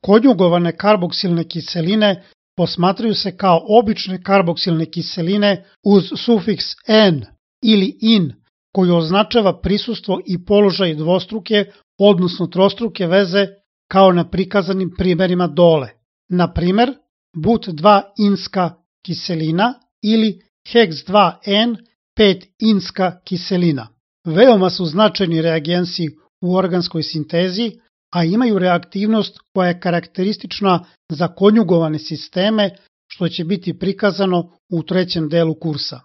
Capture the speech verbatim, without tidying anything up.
Konjugovane karboksilne kiseline posmatraju se kao obične karboksilne kiseline uz sufiks "-en" ili "-in", koji označava prisustvo i položaj dvostruke, odnosno trostruke veze, kao na prikazanim primerima dole. Na primer, but dva inska kiselina ili heks dva en pet inska kiselina. Veoma su značajni reagensi u organskoj sintezi, a imaju reaktivnost koja je karakteristična za konjugovane sisteme, što će biti prikazano u trećem delu kursa.